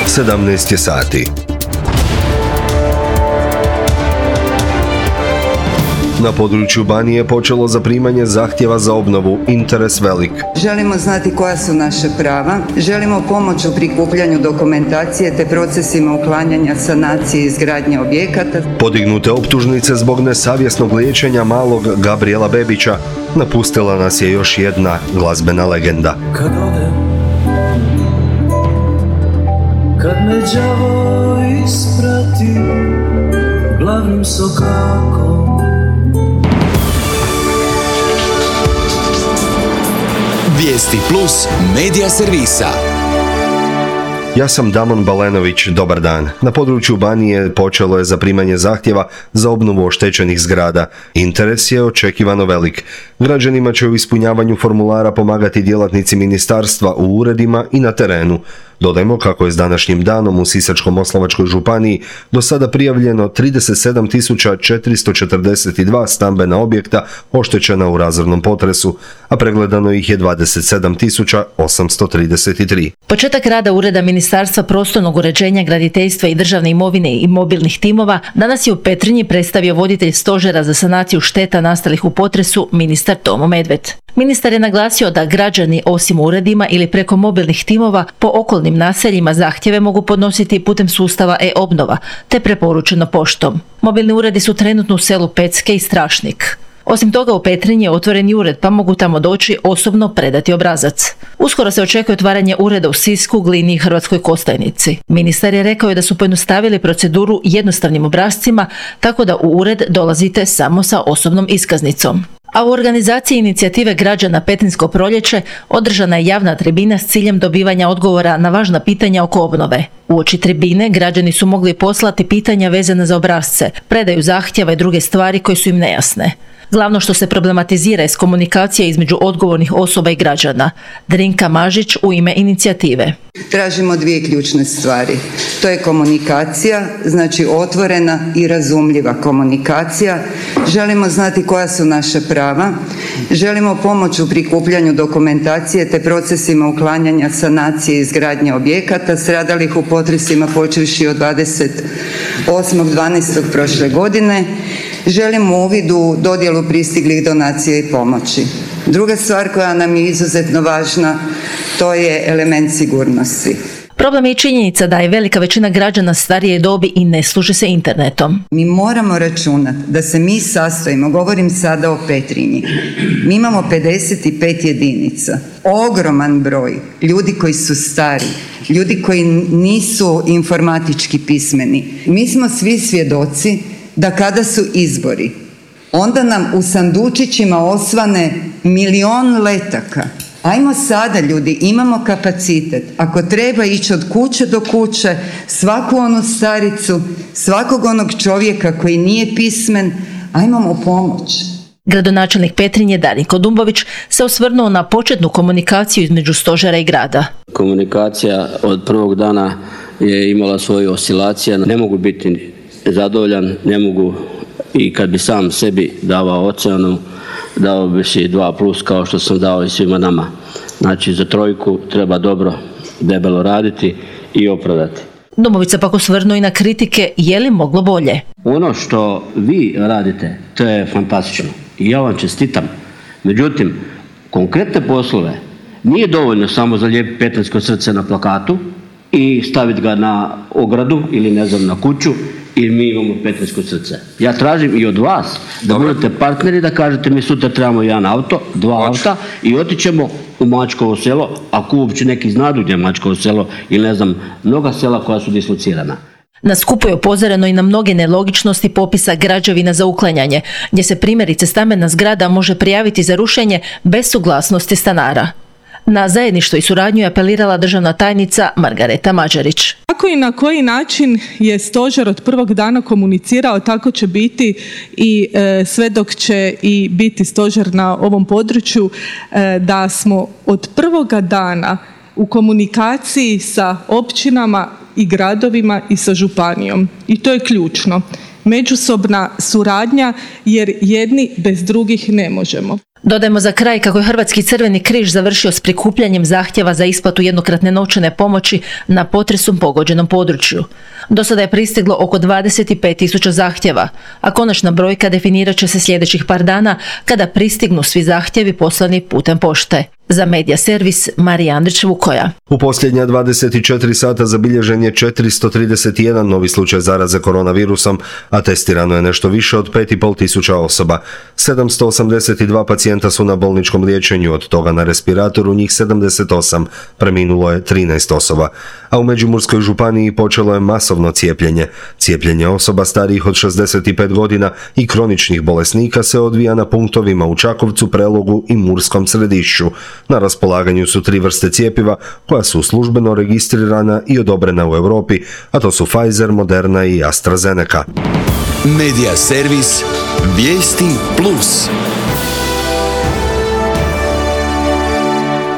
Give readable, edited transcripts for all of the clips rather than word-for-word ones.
17 je sati. Na području Banije počelo zaprimanje zahtjeva za obnovu. Interes velik. Želimo znati koja su naša prava, želimo pomoć u prikupljanju dokumentacije te procesima uklanjanja, sanacije i izgradnje objekata. Podignute optužnice zbog nesavjesnog liječenja malog Gabriela Bebića. Napustila nas je još jedna glazbena legenda. Kad odem, kad me đavo isprati glavnim sokakom. Vijesti plus medija servisa. Ja sam Damon Balenović, dobar dan. Na području Banije počelo je zaprimanje zahtjeva za obnovu oštećenih zgrada. Interes je očekivano velik. Građanima će u ispunjavanju formulara pomagati djelatnici ministarstva u uredima i na terenu. Dodajmo kako je s današnjim danom u Sisačko-moslavačkoj županiji do sada prijavljeno 37.442 stambena objekta oštećena u razornom potresu, a pregledano ih je 27.833. Početak rada Ureda Ministarstva prostornog uređenja, graditeljstva i državne imovine i mobilnih timova danas je u Petrinji predstavio voditelj Stožera za sanaciju šteta nastalih u potresu, ministar Tomo Medved. Ministar je naglasio da građani osim uredima ili preko mobilnih timova po okolnim naseljima zahtjeve mogu podnositi putem sustava e-obnova, te preporučeno poštom. Mobilni uredi su trenutno u selu Pecke i Strašnik. Osim toga u Petrinji je otvoren i ured, pa mogu tamo doći osobno predati obrazac. Uskoro se očekuje otvaranje ureda u Sisku, Glini i Hrvatskoj Kostajnici. Ministar je rekao da su pojednostavili proceduru jednostavnim obrascima, tako da u ured dolazite samo sa osobnom iskaznicom. A u organizaciji inicijative građana Petrinjsko proljeće održana je javna tribina s ciljem dobivanja odgovora na važna pitanja oko obnove. Uoči tribine građani su mogli poslati pitanja vezane za obrasce, predaju zahtjeva i druge stvari koje su im nejasne. Glavno što se problematizira je komunikacija između odgovornih osoba i građana. Drinka Mažić u ime inicijative. Tražimo dvije ključne stvari. To je komunikacija, znači otvorena i razumljiva komunikacija. Želimo znati koja su naša prava. Želimo pomoć u prikupljanju dokumentacije te procesima uklanjanja, sanacije i izgradnje objekata stradalih u potresima počevši od 28.12. prošle godine. Želimo uvid u dodjelu pristiglih donacija i pomoći. Druga stvar koja nam je izuzetno važna, to je element sigurnosti. Problem je i činjenica da je velika većina građana starije dobi i ne služe se internetom. Mi moramo računati da se mi sastojimo, govorim sada o Petrinji, mi imamo 55 jedinica, ogroman broj ljudi koji su stari, ljudi koji nisu informatički pismeni. Mi smo svi svjedoci da kada su izbori, onda nam u sandučićima osvane milion letaka. Ajmo sada ljudi, imamo kapacitet, ako treba ići od kuće do kuće, svaku onu staricu, svakog onog čovjeka koji nije pismen, ajmo mu pomoć. Gradonačelnik Petrinje Darinko Dumbović se osvrnuo na početnu komunikaciju između stožera i grada. Komunikacija od prvog dana je imala svoje oscilacije, ne mogu biti zadovoljan, ne mogu i kad bi sam sebi davao ocjenu, dao bi si 2+ kao što sam dao i svima nama. Znači za trojku treba dobro, debelo raditi i opravdati. Dumbović se pak osvrnuo i na kritike je li moglo bolje. Ono što vi radite, to je fantastično i ja vam čestitam. Međutim, konkretne poslove nije dovoljno samo zalijepiti petrinjsko srce na plakatu i staviti ga na ogradu ili ne znam na kuću i mi imamo petrinjsko srce. Ja tražim i od vas da budete partneri, da kažete mi sutra trebamo jedan auto, 2 auta i otićemo u Mačkovo selo, ako uopće neki znadu gdje je Mačkovo selo ili ne znam, mnoga sela koja su dislocirana. Na skupu je upozoreno i na mnoge nelogičnosti popisa građevina za uklanjanje, gdje se primjerice stambena zgrada može prijaviti za rušenje bez suglasnosti stanara. Na zajedništvo i suradnju je apelirala državna tajnica Margareta Mađarić. Kako i na koji način je stožer od prvog dana komunicirao, tako će biti i sve dok će i biti stožer na ovom području, da smo od prvoga dana u komunikaciji sa općinama i gradovima i sa županijom. I to je ključno. Međusobna suradnja jer jedni bez drugih ne možemo. Dodajmo za kraj kako je Hrvatski crveni križ završio s prikupljanjem zahtjeva za isplatu jednokratne novčane pomoći na potresom pogođenom području. Do sada je pristiglo oko 25.000 zahtjeva, a konačna brojka definirat će se sljedećih par dana kada pristignu svi zahtjevi poslani putem pošte. Za Medija servis Marija Andrić-Vukoja. U posljednja 24 sata zabilježen je 431 novi slučaj zaraze koronavirusom, a testirano je nešto više od 5.500 osoba. 782 pacijenta su na bolničkom liječenju, od toga na respiratoru njih 78, preminulo je 13 osoba. A u Međimurskoj županiji počelo je masovno cijepljenje. Cijepljenje osoba starijih od 65 godina i kroničnih bolesnika se odvija na punktovima u Čakovcu, Prelogu i Murskom Središću. Na raspolaganju su 3 vrste cjepiva koja su službeno registrirana i odobrena u Europi, a to su Pfizer, Moderna i AstraZeneca. Medija servis Vijesti Plus.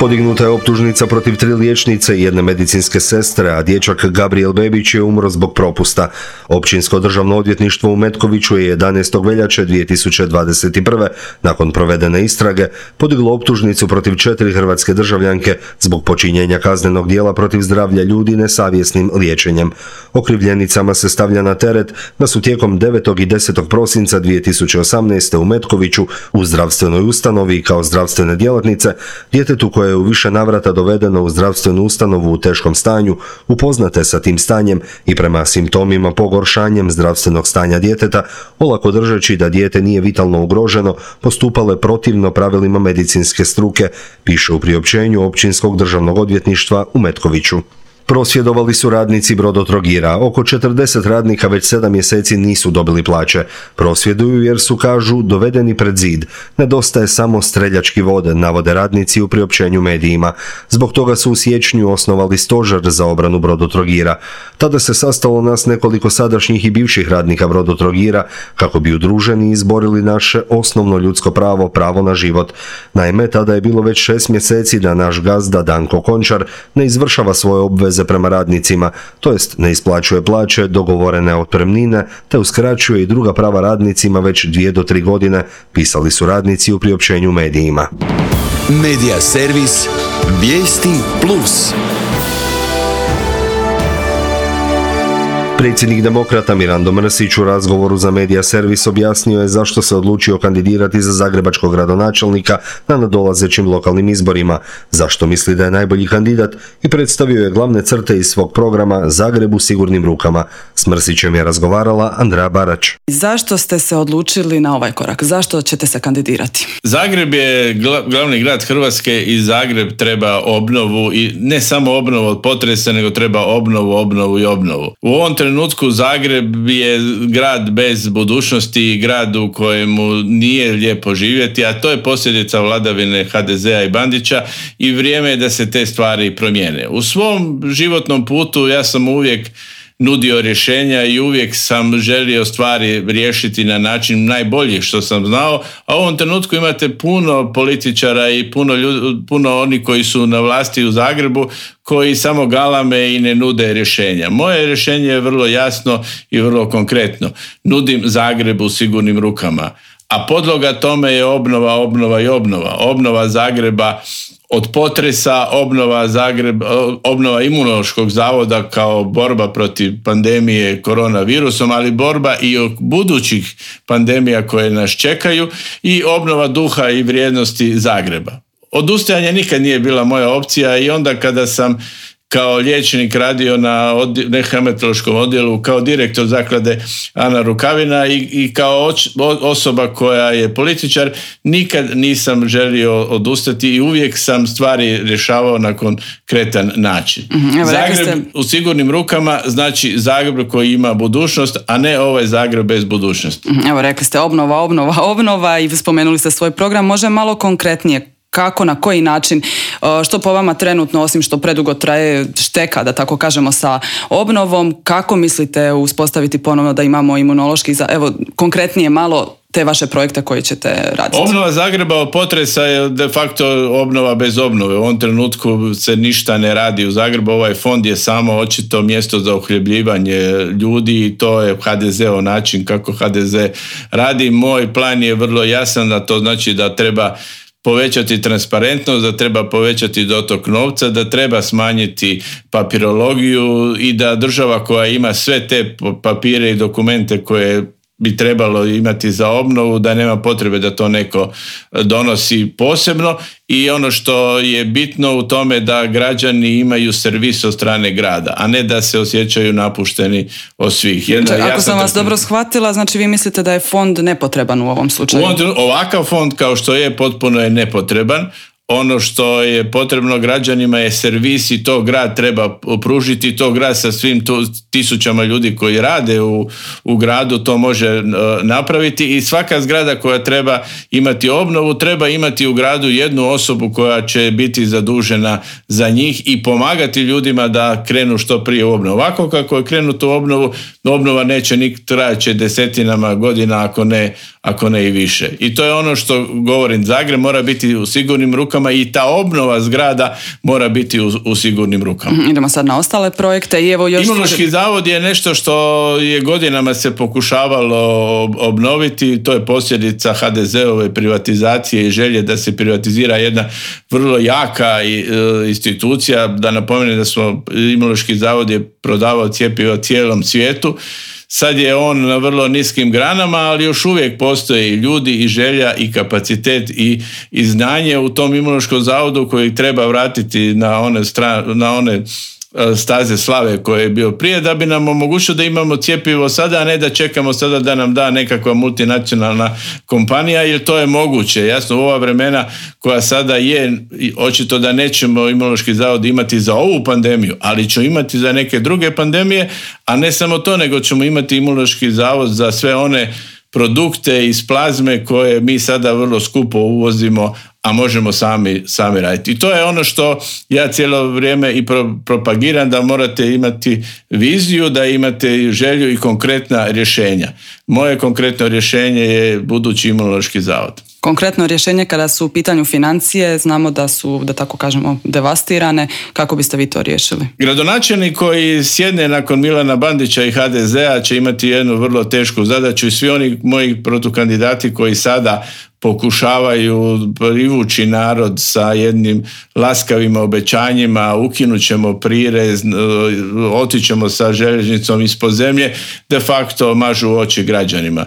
Podignuta je optužnica protiv 3 liječnice i 1 medicinske sestre, a dječak Gabriel Bebić je umro zbog propusta. Općinsko državno odvjetništvo u Metkoviću je 11. veljače 2021. nakon provedene istrage podiglo optužnicu protiv 4 hrvatske državljanke zbog počinjenja kaznenog djela protiv zdravlja ljudi nesavjesnim liječenjem. Okrivljenicama se stavlja na teret da su tijekom 9. i 10. prosinca 2018. u Metkoviću u zdravstvenoj ustanovi kao zdravstvene djelatnice djetetu koje je u više navrata dovedeno u zdravstvenu ustanovu u teškom stanju, upoznate sa tim stanjem i prema simptomima pogoršanjem zdravstvenog stanja djeteta, olako držeći da dijete nije vitalno ugroženo, postupale protivno pravilima medicinske struke, piše u priopćenju Općinskog državnog odvjetništva u Metkoviću. Prosvjedovali su radnici Brodotrogira. Oko 40 radnika već 7 mjeseci nisu dobili plaće. Prosvjeduju jer su, kažu, dovedeni pred zid. Nedostaje samo streljački vod, navode radnici u priopćenju medijima. Zbog toga su u siječnju osnovali stožer za obranu Brodotrogira. Tada se sastalo nas nekoliko sadašnjih i bivših radnika Brodotrogira kako bi udruženi izborili naše osnovno ljudsko pravo, pravo na život. Naime, tada je bilo već 6 mjeseci da naš gazda Danko Končar ne izvršava svoje obveze prema radnicima, to jest ne isplaćuje plaće, dogovorene otpremnine, te uskraćuje i druga prava radnicima već 2 do 3 godine, pisali su radnici u priopćenju medijima. Medija servis Vijesti Plus. Predsjednik Demokrata Mirando Mrsić u razgovoru za Medija servis objasnio je zašto se odlučio kandidirati za zagrebačkog gradonačelnika na nadolazećim lokalnim izborima, zašto misli da je najbolji kandidat i predstavio je glavne crte iz svog programa Zagreb u sigurnim rukama. S Mrsićem je razgovarala Andrea Barać. Zašto ste se odlučili na ovaj korak? Zašto ćete se kandidirati? Zagreb je glavni grad Hrvatske i Zagreb treba obnovu i ne samo obnovu od potresa, nego treba obnovu i obnovu. U ovom trenutku Zagreb je grad bez budućnosti, grad u kojemu nije lijepo živjeti, a to je posljedica vladavine HDZ-a i Bandića i vrijeme je da se te stvari promijene. U svom životnom putu ja sam uvijek nudio rješenja i uvijek sam želio stvari riješiti na način najbolji što sam znao, a u ovom trenutku imate puno političara i puno oni koji su na vlasti u Zagrebu koji samo galame i ne nude rješenja. Moje rješenje je vrlo jasno i vrlo konkretno. Nudim Zagreb u sigurnim rukama, a podloga tome je obnova i obnova. Obnova Zagreba od potresa, obnova Imunološkog zavoda kao borba protiv pandemije koronavirusom, ali borba i od budućih pandemija koje nas čekaju i obnova duha i vrijednosti Zagreba. Odustajanje nikad nije bila moja opcija i onda kada sam kao liječnik radio na hematološkom odjelu, kao direktor zaklade Ana Rukavina i kao osoba koja je političar, nikad nisam želio odustati i uvijek sam stvari rješavao na konkretan način. Zagreb u sigurnim rukama znači Zagreb koji ima budućnost, a ne ovaj Zagreb bez budućnosti. Evo, rekli ste obnova i spomenuli ste svoj program. Može malo konkretnije? Kako, na koji način, što po vama trenutno, osim što predugo traje šteka, da tako kažemo, sa obnovom, kako mislite uspostaviti ponovno da imamo imunološki, evo, konkretnije malo te vaše projekte koje ćete raditi? Obnova Zagreba od potresa je de facto obnova bez obnove. U ovom trenutku se ništa ne radi u Zagrebu. Ovaj fond je samo očito mjesto za uhljebljivanje ljudi i to je HDZ-ov način kako HDZ radi. Moj plan je vrlo jasan, da to znači da treba povećati transparentnost, da treba povećati dotok novca, da treba smanjiti papirologiju i da država koja ima sve te papire i dokumente koje bi trebalo imati za obnovu, da nema potrebe da to neko donosi posebno. I ono što je bitno u tome da građani imaju servis od strane grada, a ne da se osjećaju napušteni od svih. Ako sam vas dobro shvatila, znači vi mislite da je fond nepotreban u ovom slučaju? Ovakav fond kao što je, potpuno je nepotreban. Ono što je potrebno građanima je servis i to grad treba pružiti, to grad sa svim tisućama ljudi koji rade u gradu to može napraviti i svaka zgrada koja treba imati obnovu treba imati u gradu jednu osobu koja će biti zadužena za njih i pomagati ljudima da krenu što prije u obnovu. Ovako kako je krenuto u obnovu, obnova neće trajaće desetinama godina ako ne i više. I to je ono što govorim, Zagreb mora biti u sigurnim rukama i ta obnova zgrada mora biti u sigurnim rukama. Idemo sad na ostale projekte. I evo još Imunološki zavod je nešto što je godinama se pokušavalo obnoviti, to je posljedica HDZ-ove privatizacije i želje da se privatizira jedna vrlo jaka institucija. Da napomenem da smo Imunološki zavod je prodavao cjepivo cijelom svijetu. Sad je on na vrlo niskim granama, ali još uvijek postoje i ljudi i želja i kapacitet i znanje u tom Imunološkom zavodu koji treba vratiti na one staze slave koje je bio prije, da bi nam omogućilo da imamo cjepivo sada, a ne da čekamo sada da nam da nekakva multinacionalna kompanija, jer to je moguće. Jasno, u ova vremena koja sada je, očito da nećemo Imunološki zavod imati za ovu pandemiju, ali ćemo imati za neke druge pandemije, a ne samo to, nego ćemo imati Imunološki zavod za sve one produkte iz plazme koje mi sada vrlo skupo uvozimo, a možemo sami raditi. I to je ono što ja cijelo vrijeme i propagiram, da morate imati viziju, da imate želju i konkretna rješenja. Moje konkretno rješenje je budući Imunološki zavod. Konkretno rješenje kada su u pitanju financije, znamo da su, da tako kažemo, devastirane. Kako biste vi to riješili? Gradonačelnik koji sjedne nakon Milana Bandića i HDZ-a će imati jednu vrlo tešku zadaću i svi oni moji protukandidati koji sada pokušavaju privući narod sa jednim laskavim obećanjima, ukinut ćemo prirez, otićemo sa željeznicom ispod zemlje, de facto mažu oči građanima.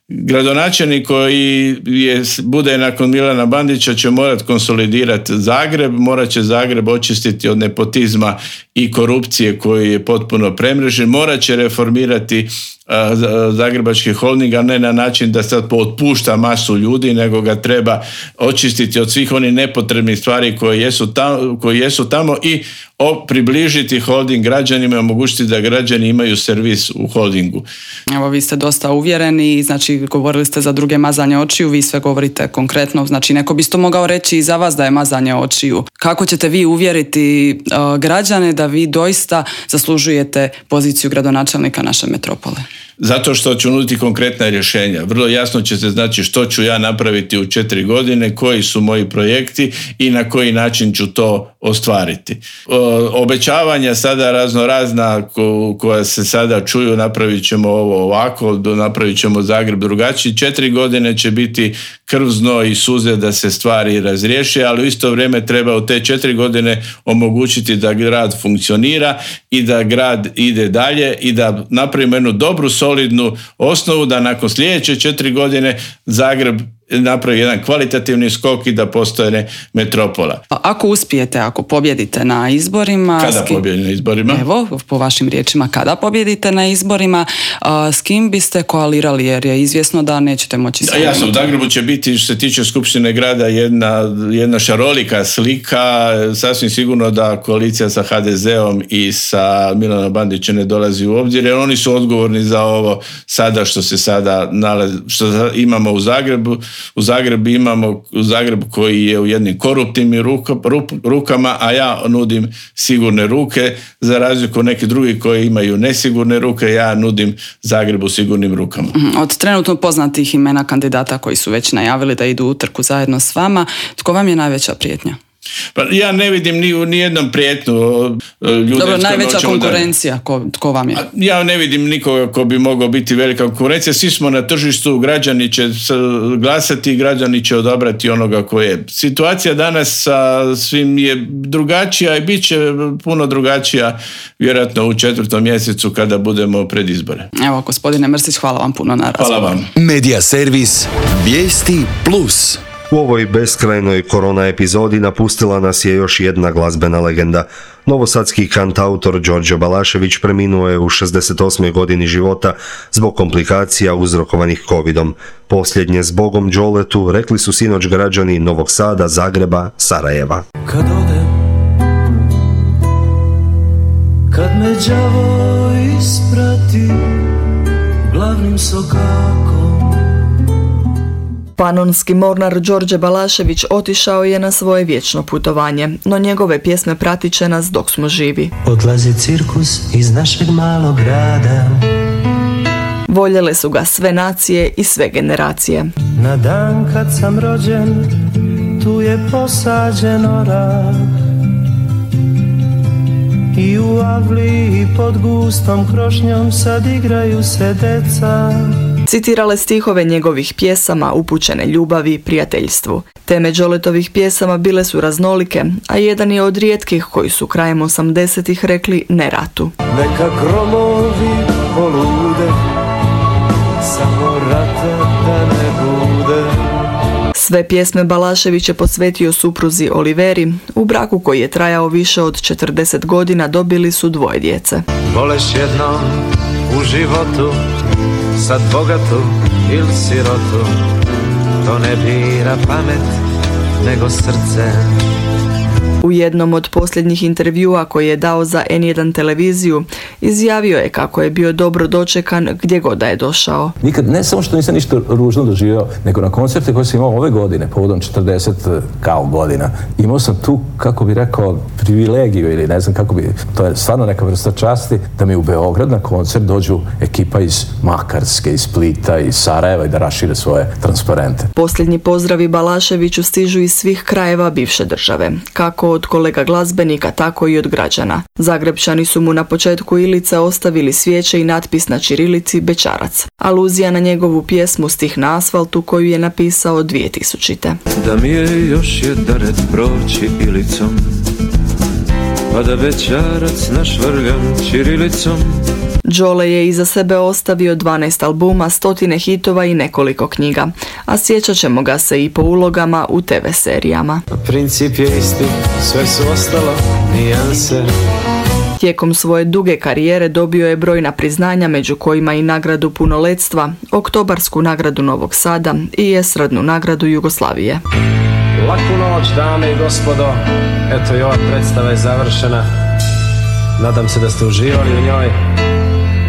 Gradonačelnik koji bude nakon Milana Bandića će morati konsolidirati Zagreb, morat će Zagreb očistiti od nepotizma i korupcije koji je potpuno premrežen, morat će reformirati Zagrebački holding, a ne na način da sad otpušta masu ljudi, nego ga treba očistiti od svih onih nepotrebnih stvari koje jesu tamo i približiti holding građanima i omogućiti da građani imaju servis u holdingu. Evo, vi ste dosta uvjereni, znači govorili ste za druge mazanje očiju, vi sve govorite konkretno, znači neko bi isto mogao reći i za vas da je mazanje očiju. Kako ćete vi uvjeriti građane da vi doista zaslužujete poziciju gradonačelnika naše metropole? Zato što ću nuditi konkretna rješenja. Vrlo jasno će se znači što ću ja napraviti u 4 godine, koji su moji projekti i na koji način ću to ostvariti. Obećavanja sada raznorazna koja se sada čuju, napravit ćemo ovo ovako, napravit ćemo Zagreb drugačiji. 4 godine će biti krv, znoj i suze da se stvari razriješe, ali u isto vrijeme treba u te 4 godine omogućiti da grad funkcionira i da grad ide dalje i da napravimo jednu dobru solidnu osnovu da nakon sljedeće 4 godine Zagreb napravi jedan kvalitativni skok i da postane metropola. Ako uspijete, ako pobjedite na izborima... Kada pobjedite na izborima? Evo, po vašim riječima, kada pobjedite na izborima, s kim biste koalirali, jer je izvjesno da nećete moći... Jasno, u Zagrebu će biti, što se tiče Skupštine grada, jedna šarolika slika. Sasvim sigurno da koalicija sa HDZ-om i sa Milanom Bandićem ne dolazi u obzir, jer oni su odgovorni za ovo sada što se sada nalazi, što imamo u Zagrebu. U Zagrebu koji je u jednim koruptivnim rukama, a ja nudim sigurne ruke, za razliku od nekih drugih koji imaju nesigurne ruke, ja nudim Zagrebu sigurnim rukama. Od trenutno poznatih imena kandidata koji su već najavili da idu u utrku zajedno s vama, tko vam je najveća prijetnja? Pa ja ne vidim ni jednom prijetnu ljude. Dobro, najveća konkurencija, tko vam je? Ja ne vidim nikoga ko bi mogao biti velika konkurencija. Svi smo na tržištu, građani će glasati, građani će odabrati onoga ko je. Situacija danas sa svim je drugačija i bit će puno drugačija vjerojatno u 4. mjesecu kada budemo pred izbore. Evo, gospodine Mrsić, hvala vam puno na razgovoru. Hvala vam. Medija servis Vijesti Plus. U ovoj beskrajnoj korona epizodi napustila nas je još jedna glazbena legenda. Novosadski kantautor Đorđe Balašević preminuo je u 68. godini života zbog komplikacija uzrokovanih covidom. Posljednje zbogom Đoletu rekli su sinoć građani Novog Sada, Zagreba, Sarajeva. Kad odem, kad me đavo isprati glavnim sokakom. Panonski mornar Đorđe Balašević otišao je na svoje vječno putovanje, no njegove pjesme pratit će nas dok smo živi. Odlazi cirkus iz našeg malog grada. Voljele su ga sve nacije i sve generacije. Na dan kad sam rođen, tu je posađen orak. I u avliji pod gustom krošnjom sad igraju se deca. Citirale stihove njegovih pjesama upućene ljubavi, prijateljstvu. Teme Đoletovih pjesama bile su raznolike, a jedan je od rijetkih koji su krajem 80-ih rekli ne ratu. Neka gromovi polude, samo rata da ne bude. Sve pjesme Balašević je posvetio supruzi Oliveri. U braku koji je trajao više od 40 godina dobili su 2 djece. Voleš jednom u životu, sad bogatu ili sirotu, to ne bira pamet, nego srce. U jednom od posljednjih intervjua koji je dao za N1 televiziju, izjavio je kako je bio dobro dočekan gdje god da je došao. Nikad, ne samo što nisam ništa ružno doživio, nego na koncerte koje sam imao ove godine, povodom 40 kao godina, imao sam tu, kako bi rekao, privilegiju ili ne znam kako bi, to je stvarno neka vrsta časti, da mi u Beograd na koncert dođu ekipa iz Makarske, iz Splita, iz Sarajeva i da rašire svoje transparente. Posljednji pozdravi Balaševiću stižu iz svih krajeva bivše države, kako od kolega glazbenika, tako i od građana. Zagrebčani su mu na početku Ilice ostavili svijeće i natpis na ćirilici Bećarac. Aluzija na njegovu pjesmu Stih na asfaltu koju je napisao 2000. Da mi je još jedan red proći Ilicom, pa da Bećarac našvrljam ćirilicom. Đole je iza sebe ostavio 12 albuma, 100 hitova i nekoliko knjiga, a sjećat ćemo ga se i po ulogama u TV serijama. Princip je isti, sve su ostalo nijanse. Tijekom svoje duge karijere dobio je brojna priznanja, među kojima i nagradu punoletstva, Oktobarsku nagradu Novog Sada i Estradnu nagradu Jugoslavije. Laku noć, dame i gospodo, eto i ova predstava je završena. Nadam se da ste uživali u njoj.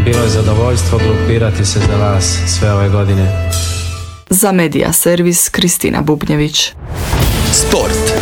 Bilo je zadovoljstvo grupirati se za vas sve ove godine. Za Medija servis Kristina Bubnjević. Sport.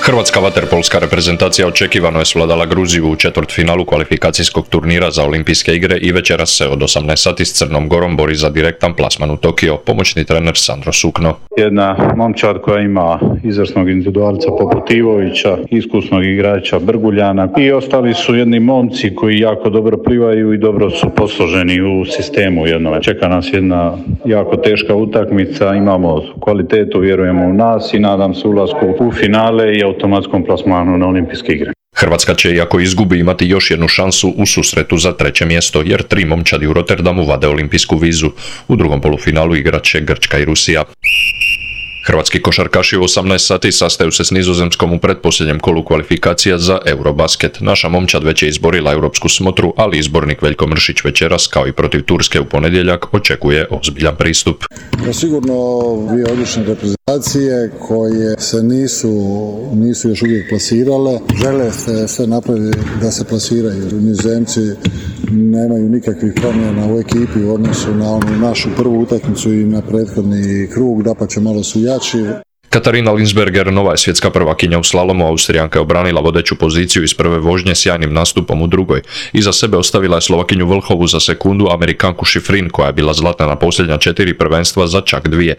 Hrvatska vaterpolska reprezentacija očekivano je svladala Gruziju u četvrtfinalu kvalifikacijskog turnira za Olimpijske igre i večeras se od 18 sati s Crnom Gorom bori za direktan plasman u Tokio, pomoćni trener Sandro Sukno. Jedna momčad koja ima izvrsnog individualca poput Ivovića, iskusnog igrača Brguljana i ostali su jedni momci koji jako dobro plivaju i dobro su posloženi u sistemu jednome. Čeka nas jedna jako teška utakmica, imamo kvalitetu, vjerujemo u nas i nadam se ulasku u finale i automatskom plasmanu na Olimpijske igre. Hrvatska će, iako izgubi, imati još jednu šansu u susretu za 3. mjesto, jer 3 momčadi u Rotterdamu vade olimpijsku vizu. U drugom polufinalu igrat će Grčka i Rusija. Hrvatski košarkaši u 18 sati sastaju se s Nizozemskom u pretposljednjem kolu kvalifikacija za Eurobasket. Naša momčad već je izborila europsku smotru, ali izbornik Veljko Mršić večeras, kao i protiv Turske u ponedjeljak, očekuje ozbiljan pristup. Sigurno dvije odlične reprezentacije koje se nisu još uvijek plasirale. Žele sve napraviti da se plasiraju. Nizozemci nemaju nikakvih promjena u ekipi u odnosu na onu našu prvu utakmicu i na prethodni krug, dapače malo su jači. Katarina Linsberger, nova je svjetska prvakinja u slalomu. Austrijanka je obranila vodeću poziciju iz prve vožnje sjajnim nastupom u drugoj. Iza sebe ostavila je Slovakinju Vlhovu za sekundu, Amerikanku Šifrin koja je bila zlatna na posljednja 4 prvenstva za čak 2.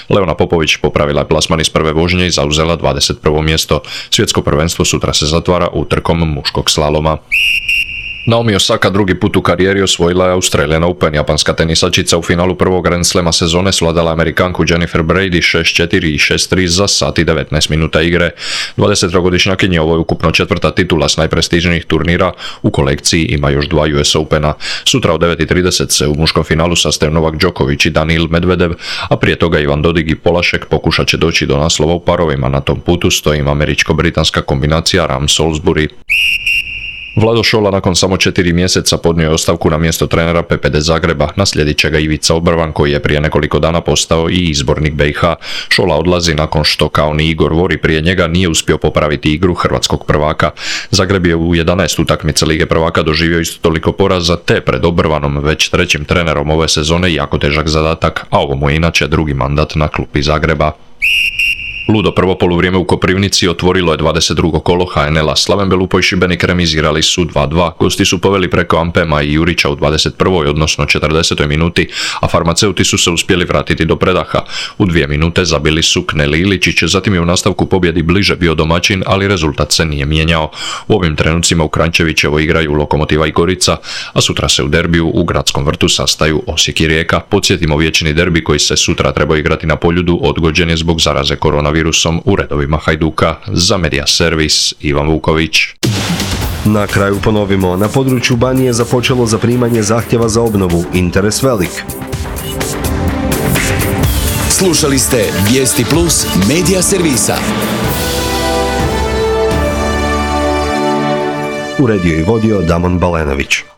Leona Popović popravila je plasman iz prve vožnje i zauzela 21. mjesto. Svjetsko prvenstvo sutra se zatvara utrkom muškog slaloma. Naomi Osaka drugi put u karijeri osvojila je Australian Open. Japanska tenisačica u finalu prvog Grand Slema sezone svladala Amerikanku Jennifer Brady 6-4 i 6-3 za sat i 19 minuta igre. 23-godišnjakinji ovo je ukupno 4. titula s najprestižnijih turnira. U kolekciji ima još 2 US Opena. Sutra u 9:30 se u muškom finalu sastaju Novak Đoković i Danil Medvedev, a prije toga Ivan Dodig i Polašek pokušat će doći do naslova u parovima. Na tom putu stoji američko-britanska kombinacija Ram Salisbury. Vlado Šola nakon samo 4 mjeseca podnio je ostavku na mjesto trenera PPD Zagreba. Naslijedit će ga Ivica Obrvan koji je prije nekoliko dana postao i izbornik BiH. Šola odlazi nakon što kao ni Igor Vori prije njega nije uspio popraviti igru hrvatskog prvaka. Zagreb je u 11 utakmica Lige prvaka doživio isto toliko poraza te pred Obrvanom već 3. trenerom ove sezone jako težak zadatak, a ovo mu je inače drugi mandat na klupi Zagreba. Ludo prvo poluvrijeme u Koprivnici otvorilo je 22. kolo HNL-a. Slaven Belupo i Šibenik remizirali su 2-2. Gosti su poveli preko Ampema i Jurića u 21. odnosno 40. minuti, a farmaceuti su se uspjeli vratiti do predaha. U 2 minute zabili su Kneli Iličić, zatim je u nastavku pobjedi bliže bio domaćin, ali rezultat se nije mijenjao. U ovim trenucima u Kranjčevićevo igraju Lokomotiva i Gorica, a sutra se u derbiju u Gradskom vrtu sastaju Osijek i Rijeka. Podsjetimo, vječni derbi koji se sutra treba igrati na Poljudu odgođen je zbog zaraze koronavirusom u redovima Hajduka. Za Media Servis Ivan Vuković. Na kraju ponovimo, na području Banije započelo zaprimanje zahtjeva za obnovu. Interes velik. Slušali ste Vijesti Plus Media Servisa. Uredio i vodio Damon Balenović.